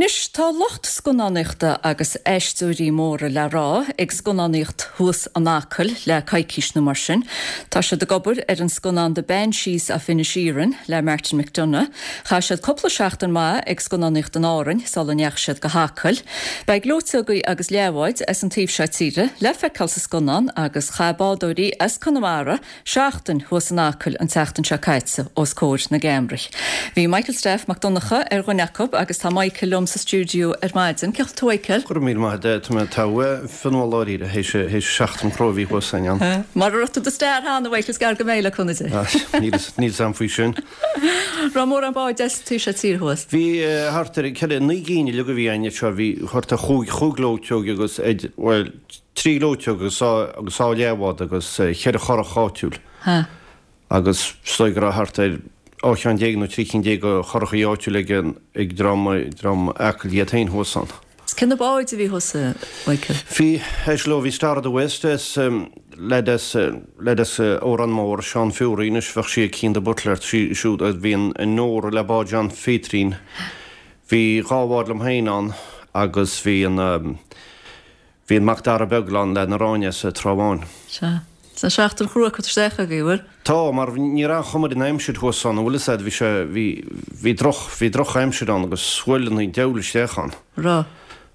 Anois, tá lucht scannánaíochta agus aisteoirí móra le rá ag scannánaíocht thuas in Acaill le coicís nó mar sin. Tá siad ag obair ar an scannán The Banshees of Inisherin le Martin McDonagh. Chaith siad cúpla seachtain maith ag scannánaíocht in Árainn sula ndeachaigh siad go hAcaill. Beidh gleoiteogaí agus leathbháid as an taobh seo tíre le feiceáil sa scannán agus chaith bádóirí as Conamara Seachtain thuas in Acaill an tseachtain seo caite os comhair na gceamaraí. Bhí Michael Steph Mac Donncha ar dhuine acu agus tá Michael liom sa stiúideo ar maidin. Cén chaoi a bhfuil tú Michael? Go raibh míle maith agat, tá mé togha Fionnuala dáiríre, théis seachtain chrua a bhí thuas againn ann. Mara raibh tú do star cheana, Michael, is gearr go mbeidh le cúnamh Dé. Níl 'fhios a'm faoi sin. Raibh mórán báid as an taobh seo tíre thuas? Bhí thart ar 4, 9 gcinn uilig a bhí againn anseo, bhí thart ar chúig ghleoiteog agus, bhuel, 3 ghleoiteog agus agus dhá leathbhád agus cheithre churach áitiúil. Agus is dóigh go raibh thart ar 12 cheann nó 13 cinn de churachaí áitiúil ag an ag dream dream Acaill iad féin thuas ann. Cé na báid a bhí thuas, a Mhichael? Bhí, éist leo, bhí Star of the West as leaid as leaid as Órán Mór, Seán Fury, anois bheadh sí ag Cian de Buitléar, sí siúd, bhí an an Nóra le bád John Pheatairín, bhí dhá bhád liom féin ann agus bhí an Bhí an Mac Dara Beag ann leaid na Ráinne as Trá Bháin. Sea. Tá seachtain chrua curtha isteach agaibh, an bhfuil? Tá, mar ní raibh aon chuma ar an aimsir thuas ann, an bhfuil fhios a'd, bhí sé, bhí, bhí droch, bhí droch aimsir ann agus shuaileanna an diabhail isteach ann. Raibh.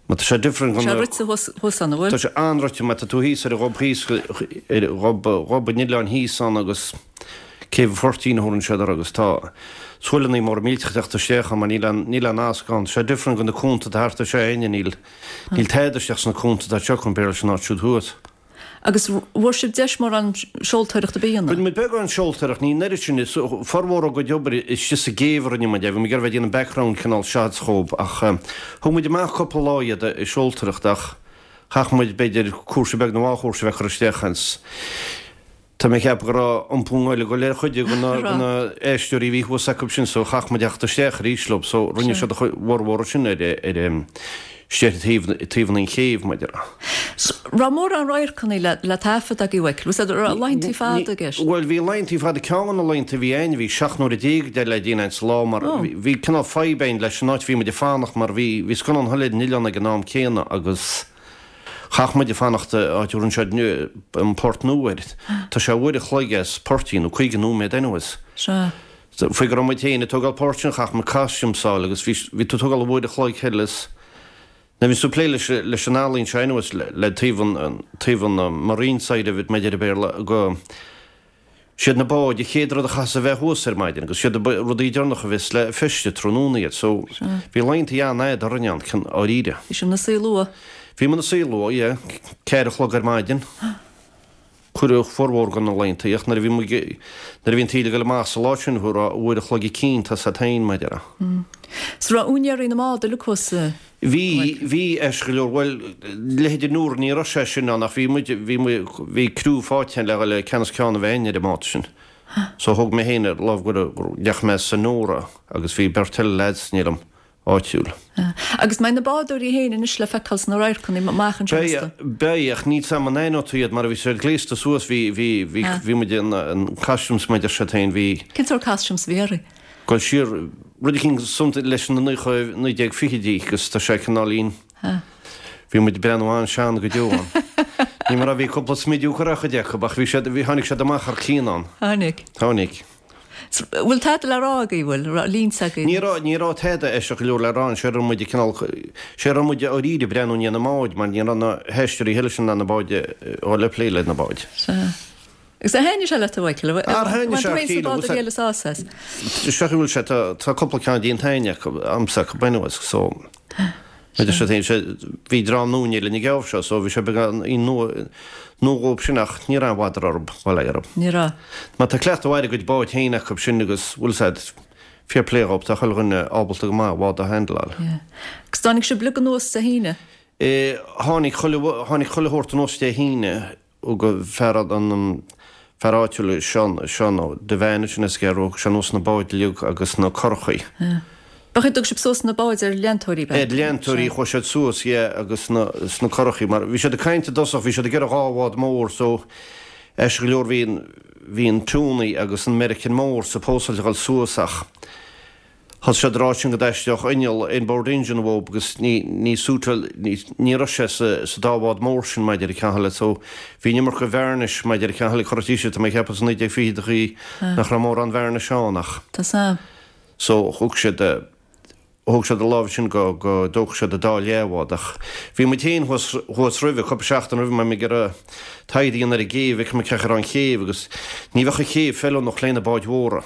Mar tá sé different Tá sé rite thuas, thuas ann, an bhfuil? Tá sé an-rite, mar tá tú thíos ar an ghob thíos, ar ghob, gob an oileáin thíos ann agus Céibh an Phoirtín a thabharann siad air agus tá shuaileanna móra millteach ag teacht isteach ann mar níl aon, níl aon fhásc ann. Tá sé different go na cuanta atá thart anseo a'inne, níl, Níl tada isteach sna cuanta atá anseo compared leis an áit siúd thuas. Agus bhfuair sibh deis mórán seoltóireachta a dhéanamh? Rinne muid beagán seoltóireacht, ní an oiread sin, is formhór ár gcuid obair istigh sa gcéibh a rinne muid é, bhí muid ag iarraidh bheith ag déanamh background cineál shots dhób ach thug muid amach cúpla lá iad ag seoltóireacht ach chaith muid b'fhéidir cúrsa beag nó dhá chúrsa a bheith ag cur isteach ins. Tá mé ag ceapadh go raibh iompú i nGaeilge ag dul ar chuid de na aisteoirí a bhí thuas acu sin so chaith muid theacht isteach arís leo so rinne siad a bhformhór sin ar ar isteach taobh taobh an chéibh mar a déarfá. Raibh mórán radharcanna le le taifead agaibh Mhichael? Was that raibh laethantaí fada i gceist? Bhuel bhí laethantaí fada ceann de na laethantaí a bhí a'inn bhí 17 nuaire de le déanamh sa lá mar bhí cineál fadhb a'inn leis an áit a bhí muid ag fanacht mar bhí bhí scannán eile ar an oileán ag an am céanna agus Chaith muid fanacht áit a dtabharann siad an Port Nua air. Tá sé uair a chloig as Poirtín, nó 50 nóiméad anyways. Sea. Faoi go raibh muid féin ag tógáil páirt sin, chaith muid costumes a fháil agus bhí, bhí tú ag tógáil uair a chloig thoir is, now bhí tú ag plé leis, leis an ealaín seo anyways, le, le taobh an, taobh an marine side of it, mar a deir an Béarla, go, Siad na báid an chéad rud a chaithfeas a bheith thuas ar maidin agus siad na rudaí deireanacha a bheas le feistiú tráthnóna iad so bhí laethanta an-fhada orainn ann, dáiríre. Bhí sibh ina suí luath? Bhí muid ina suí luath, yeah. Ceathair a chlog ar maidin. Cuireadh formhór de na laethanta ach nuair a bhí muid, nuair a bhí an taoille ag dul amach sa lá sin bhí uair a chloig eicínt as a'd féin, mar a déarfá. So raibh úinéirí na mbád uilig thuas? Bhí, bhí, ais go leor, bhuel, leithéid an Nóra ní raibh sé sin ann ach bhí muid, bhí muid, bhí criú faighte le le ceann is ceann a bheith againn ar an mbád sin. So thóg mé féin ar lámh go go ndeachaigh mé sa Nóra agus bhí beirt eile lads liom, áitiúil. Agus mbeidh na bádóirí féin anois le feiceáil sna radharcanna amach anseo Beidh, beidh, ach níl 's a'm an aithneoidh tú iad mar a bhí siad gléasta suas, bhí, bhí, bhí, bhí muid in, in costumes mar a deir siad féin, bhí. Cén sórt costumes a bhí orthu? Dul siar, rud eicínt something leis na 1920idí agus tá sé cineáilín, bhí muid ag breathnú an-sean go deo ann. Ní mar a bhí cúpla smidiú curtha ar chuid acu ach bhí siad, bhí, tháinig siad amach thar cionn ann. Tháinig. Tháinig. Bhfuil tada le rá agaibh, bhfuil? Raibh línte agaibh? Ní raibh, ní raibh tada aisteach go leor le rá, sé raibh muid ag cineál, sé raibh muid dáiríre ag breathnú i ndiaidh na mbád mar ní raibh na haisteoirí eile sin in ann na báid a dhul ag plé le na báid. Sea. Agus ar thaitnigh sé leat a Mhichael? Ar thaitnigh sé Bhain tú féin sa bád a bhí Is ea bhfuil sé, tá cúpla ceann déanta againn acu, a'msa acu anyways, so bhí sé féin, sé, bhí dream nua linn ag geábh seo, so bhí sé beagán nua, nua dhóibh sin ach ní raibh aon bhother orthu, bail ó Dhia orthu. Ní raibh. Mar tá cleachtadh ar a gcuid báid féin acu sin agus bhfuil 's a'd, fair play dhóibh, tá chuile dhuine ábalta go maith bád a handleáil. Yeah. Agus tháinig sibh uilig anuas Dé hAoine? Eh, tháinig chuile, tháinig chuile shórt anuas Dé hAoine, Thug fear an fear áitiúil Seán Seán Ó Duibheáin sin as Gearr thug sé anuas na báid uilig agus na curachaí. B'ea thug sibh suas na báid ar leantóirí b'ea? Ar leantóirí chuaigh siad suas yeah agus na sna curachaí mar bhí siad ag caint i dtosach bhí siad ag iarraidh dhá bhád mór so ais go leor bhí an bhí an Tony agus an Meiricean mór supposedly a dhul suas ach. Thosaigh siad ag rá sin go dtaisteodh inneall inboard engine uathub agus ní, ní suiteáil, ní, ní raibh sé sa, sa dá bhád mór sin maidir le ceann eile so bhí an iomarca varnish maidir le ceann eile curtha siar tá mé ag ceapadh sa 1920idí nach raibh mórán varnish ann ach Tá san. so thug siad, thóg siad a lámh sin go, go dtógfadh siad an dá leathbhád ach bhí muid féin thuas, thuas roimhe, cúpla seachtain roimhe mar bhí muid ag iarraidh taighde a dhéanamh ar an gcéibh, fheiceáil cén chaoi a raibh an chéibh agus ní bheadh an chéibh feiliúnach le na báid mhóra.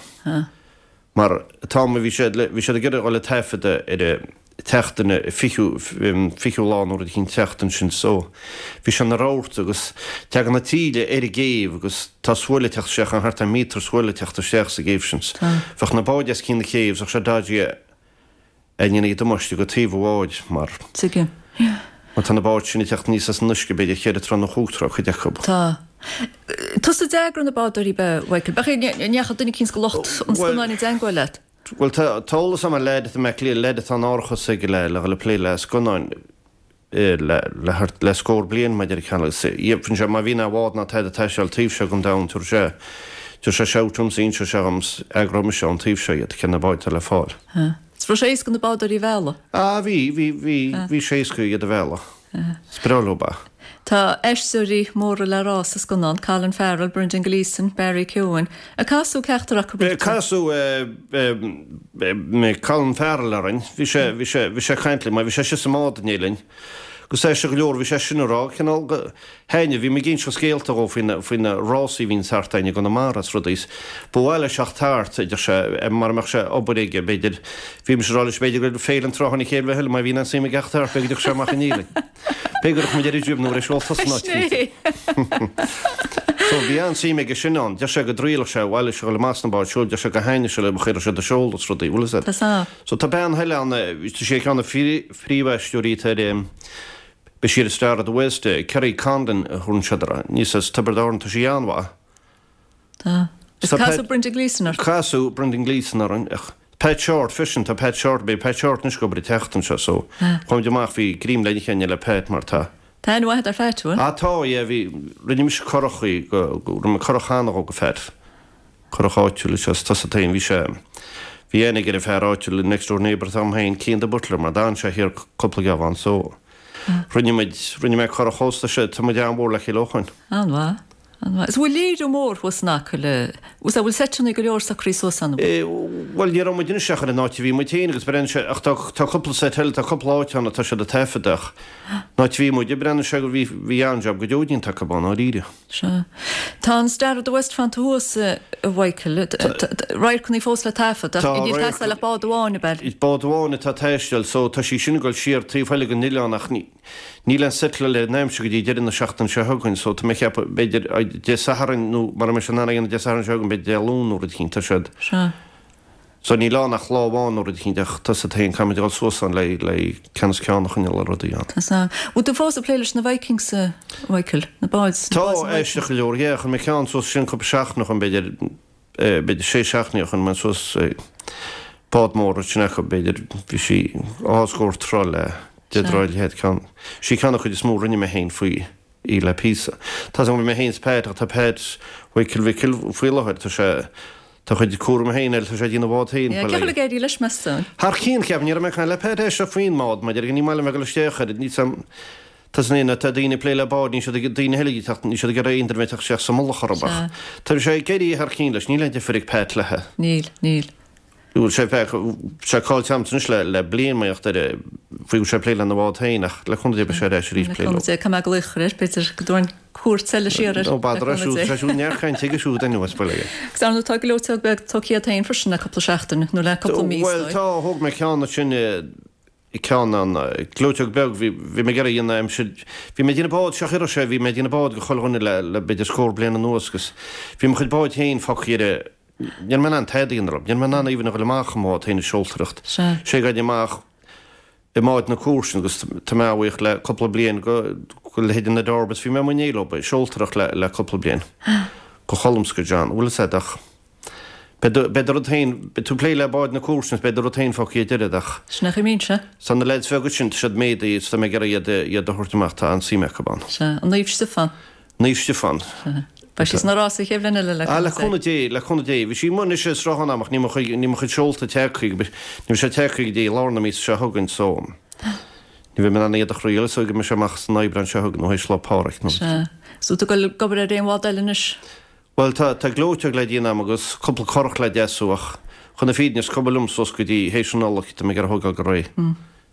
Mar an t-am a bhí siad le, bhí siad ag iarraidh a dhul ag taifeadadh ar an tseachtain, an fichiú, fichiú lá nó rud eicínt an tseachtain sin so bhí sé ina rabharta agus tagann an taoille ar an gcéibh agus tá svuaile ag teacht isteach ann, thart ar míotar svuaile ag teacht isteach sa gcéibh sin. Bheadh na báid os cionn na céibhe, bheadh sé dodgy a ndéanfaidh damáiste go taobh an bháid mar. Tuigim. Yeah. Mar tá na báid sin ag teacht aníos as an uisce b'fhéidir cheithre troigh nó chúig troigh, cuid acu. Tá. Tusa a d'eagraigh na bádóirí ab ea, Mhichael? B'fhéidir go ndeachaigh duine eicínt de lucht an scannáin i dteangmháil leat? Bhuel, tá eolas agam ar leaid atá i mBaile Átha Cliath, leaid atá in árachas aige le le dhul ag plé le scannáin le le thart le scór bliain maidir le ceann agus dheimhin sé má bhíonn aon bhád ná tada ag taisteal taobh seo den domhan tabharfaidh sé tabharfaidh sé shout dhomsa inseoidh sé dhom 's eagróidh mise ón taobh seo iad cé na báid atá le fáil. Is raibh sé éasca na bádóirí a mhealladh? Ah bhí, bhí, bhí, bhí sé éasca iad a mhealladh. Is breá leo é. Tá aisteoirí móra le rá sa scannán, Colin Farrell, Brendan Gleeson, Barry Keoghan. Ar casadh ceachtar acu ort? Casadh Colin Farrell orainn. Bhí sé, bhí sé, bhí sé ag caint linn mar bhí sé istigh sa mbád inné linn. Agus é sin go leor, bhí sé sin ag rá, cineál go, thaitnimh, bhí mé ag inseacht scéalta dhó faoi na, faoi na rásaí a bhíonn thart againn i gConamara is rudaí is ba mhaith leis theacht thart, a deir sé, mara mbeadh sé obair aige, b'fhéidir, bhí mise ag rá leis, b'fhéidir go raibh Féile an Trátha ina chéile bheith eile má bhíonn aon suim aige theacht thart, b'fhéidir go dtiocfadh sé amach i ndiaidh linn. B'fhéidir go raibh muid ar an droim nó ar ais ólta san áit cinnte. So bhí an-suim aige sin ann. Deir sé go dtriailfeadh sé, bhuel, is a dhul amach sna báid siúil, deir sé go thaitneodh sé le, chuirfeadh sé do seoladh is rudaí, bhfuil fhios agat. So tá bean eile ann, tá sí ar cheann de na phríomhaisteoirí atá ar, beidh sí ar Star of the West, Kerry Condon a thabharann siad uirthi, aníos as Tiobraid Árann, tá sí an-mhaith. Tá. Is casadh Brendan Gleeson ort. Casadh Brendan Gleeson orainn, ach Pat Shortt freisin, tá Pat Shortt, beidh Pat Shortt anois ag obair an tseachtain seo so chuaigh muid amach, bhí greim le n-ithe againn le Pat mar tá. Tá aithne mhaith agat ar Phat, bhfuil? Ah tá, yeah, bhí, rinne mise curach go, rinne mé curach cheana dhó go Phat. Curach áitiúil is ea tusa féin. Bhí sé, bhí aithne aige ar an fear áitiúil, next door neighbour atá agam féin, Cian de Buitléar, mar d'fhan sé thiar cúpla geamhan so rinne muid, rinne mé curach dhó 's tá sé, tá muid an-mhór le chéile ó shoin. An-mhaith, an-mhaith. Is bhfuil léiriú mór thuas in Acaill, bhfuil bhfuil seiteanna go leor socraithe suas ann, an bhfuil? Bhuel ní raibh muid anois ach ar an áit a bhí muid féin agus breathnaíonn sé, ach tá, tá cúpla seit eile, tá cúpla áit ann atá siad ag taifeadadh ach an áit a bhí muid, breathnaíonn sé go, bhí, bhí an-jab go deo déanta acu ann, dáiríre. Sea. Tá an Star of the West fanta thuas, a Mhichael. Radharcanna fós le taifead, ach níl ag teastáil ach bád amháin, ab ea? Bád amháin atá ag taisteal, so tá sí sin ag dul siar taobh thoir den oileán ach níl aon settleáil ar an aimsir go dtí deireadh na seachtaine seo chugainn, so tá mé ag ceapadh, b'fhéidir, Dé Sathairn nó mara mbeidh sé in ann a dhéanamh Dé Sathairn seo chugainn, b'fhéidir Dé Luain nó rud eicínt, tá siad. Sea. So níl ann ach lá amháin nó rud eicínt ach tá 's agat féin, caithfimid a dhul suas ann le le ceann is ceann a choinneáil ar rudaí ann. Tá 's agam. Bhfuil tú fós ag plé leis na Vikings, a Mhichael? Na báid, na Tá, báid na Vikings? aisteach go leor, yeah, chuir mé ceann suas sin cúpla seachtain ó shoin, b'fhéidir, b'fhéidir sé seachtainí ó shoin, mé suas bád mór sin acu, b'fhéidir, bhí sí dhá scór troigh le deich dtroigh a leithead, ceann, sí ceann an chuid is mó a rinne mé féin faoi í le píosa. Tá 's agam, bhí mé féin 's Pat ach tá Pat Mhichael Mhicil faoi láthair, tá sé, Tá a chuid cúram féin air, tá sé ag déanamh a bhád féin. Cén chaoi a bhfuil ag éirí leis, meas tú? Thar cionn, ceapaim. Ní raibh mé ag caint le Pat aisteach faoin mbád, mar ní maith liom bheith ag dul isteach air. Níl 's a'm, tá 's a'm, tá daoine ag plé le báid, níl siad ag, daoine eile ag teacht, níl siad ag iarraidh aon duine a bheith ag teacht isteach sa mullach orthu ach tá sé ag éirí thar cionn leis, níl aon difear ag Pat leithe. Níl, níl. Bhfuil sé sé caillte agamsa anois le le bliain mar gheall ar faoi go bhfuil sé ag plé lena bhád féin ach le cúnamh Dé beidh sé ar ais arís plé leo. Caithfidh mé glaoch air, b'fhéidir go dtabharfainn cuairt eile siar air. Ó b'fhéidir é siúd, sé siúd neart cainte aige siúd anuas bail aige. Agus ar ndóigh tá gleoiteog beag tógtha agat féin freisin le cúpla seachtain nó le cúpla mí is dóigh. Bhuel tá, thóg mé ceann ansin ceann an gleoiteog beag bhí bhí mé ag iarraidh a dhéanamh aimsir bhí mé ag déanamh bád seo chuir sé bhí mé ag déanamh bád go chuile dhuine le le b'fhéidir scór bliain anuas agus bhí mo chuid báid féin fágtha ar Ní raibh mé in ann tada a dhéanamh leo. Ní raibh mé in ann even a dhul amach i mbád féin ag seoltóireacht. Sea. Sé ag gabháil amach i mbáid na cúirse agus tá mé an-bhuíoch le cúpla bliain go go leithéid na Dorbas bhí mé amuigh in éindí leo ag seoltóireacht le le cúpla bliain. Go Colm 's go John. Bhfuil fhios a'd ach beidh do beidh do rud féin beidh tú ag plé le báid na cúirse agus beidh do rud féin fágtha ar deireadh ach. Sin é a chuimíonn sé. Tá na leaids bheaga sin tá siad méadaithe is tá mé ag iarraidh iad iad a thabhairt amach tá an-suim acu ann. Sea. An Naomh Stiofán. Naomh Stiofán. Sea. Beidh sí sna rásaí an chéad bhliain eile le Ah, le cúnamh Dé. Cúnamh Dé, le cúnamh Dé. Bhí sí amuigh anois ar sruthán agam ach níl mo chuid, níl mo chuid seolta tagtha, ní bheidh sé tagtha go dtí lár na míosa seo chugainn so ní bheidh mé in ann iad a chraoladh so go mbeidh sé amach san Aibreán seo chugainn nó théis Lá Pádraig nó. Sea. So tú ag dul ag obair ar aon bhád eile anois? Bhuel, tá, tá gleoiteog le déanamh agam agus cúpla curach le deasú ach chun na fírinne is cuma liom suas go dtí théis an Nollaig, tá mé ag iarraidh a thógáil go réidh.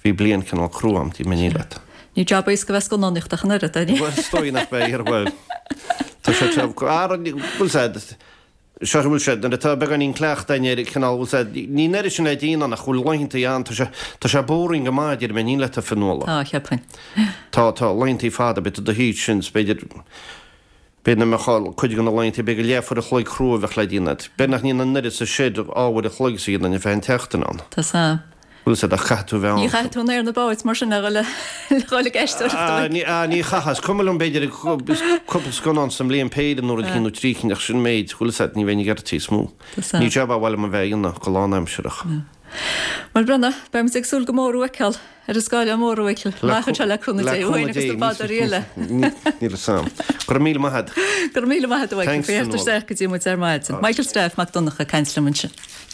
Bhí bliain cineál crua agam, déarfaidh mé leat. Ní jab éasca bheith scannánaíocht ach an oiread, é? Bhuel, is dóigh nach mbeidh, bhuel, tá sé te, bhfuil sé, seo bhfuil sé, nuair atá beagáinín cleachtaidh air, cineál, bhfuil sé, ní an oiread sin le déanamh ach bhfuil laethantaí ann, tá sé, tá sé boring go maith, déarfaidh mé leat a Fionnuala. Tá, cheapfainn. Tá, tá laethantaí fada, beidh tú i do shuí ansin, is b'fhéidir, B'fhéidir nach mbeadh cuid de na laethanta, b'fhéidir go leathuair a chloig crua a bheadh le déanamh agat. B'fhéidir nach ndéanann an oiread sa shed dhá uair a chloig sa dhéanann ar feadh an tseachtain ann. Tá sa. Bhfuil fhios agat ach caithfidh tú a bheith ann. Ní chaithfidh tú an aer na báid mar sin le dhul le dhul ag aisteoireacht uaidh. Ah, ní chaithfeá. Is cuma liom b'fhéidir cúpla scannán sa mbliain péire nó rud éicint nó trí cinn ach sin an méid. Bhfuil fhios agat ní bheinn ag iarraidh níos mó. Tá sa. Ní jab a mhaith liom a bheith a dhéanamh go lánaimsearach. Bhuel Brenna, beidh muid ag súil go mór thú a fheiceáil ar an scáileán mór a Mhichíl. Amach anseo le cúnamh Dé, uainn agus na bádóirí eile. Níl fhios a'm. Go raibh míle maith agat. Go raibh míle maith agat a Mhichíl. Thanks, Fionnuala. Isteach go dtí muid ar maidin. Michael Steph Mac Donncha ag caint liom ansin.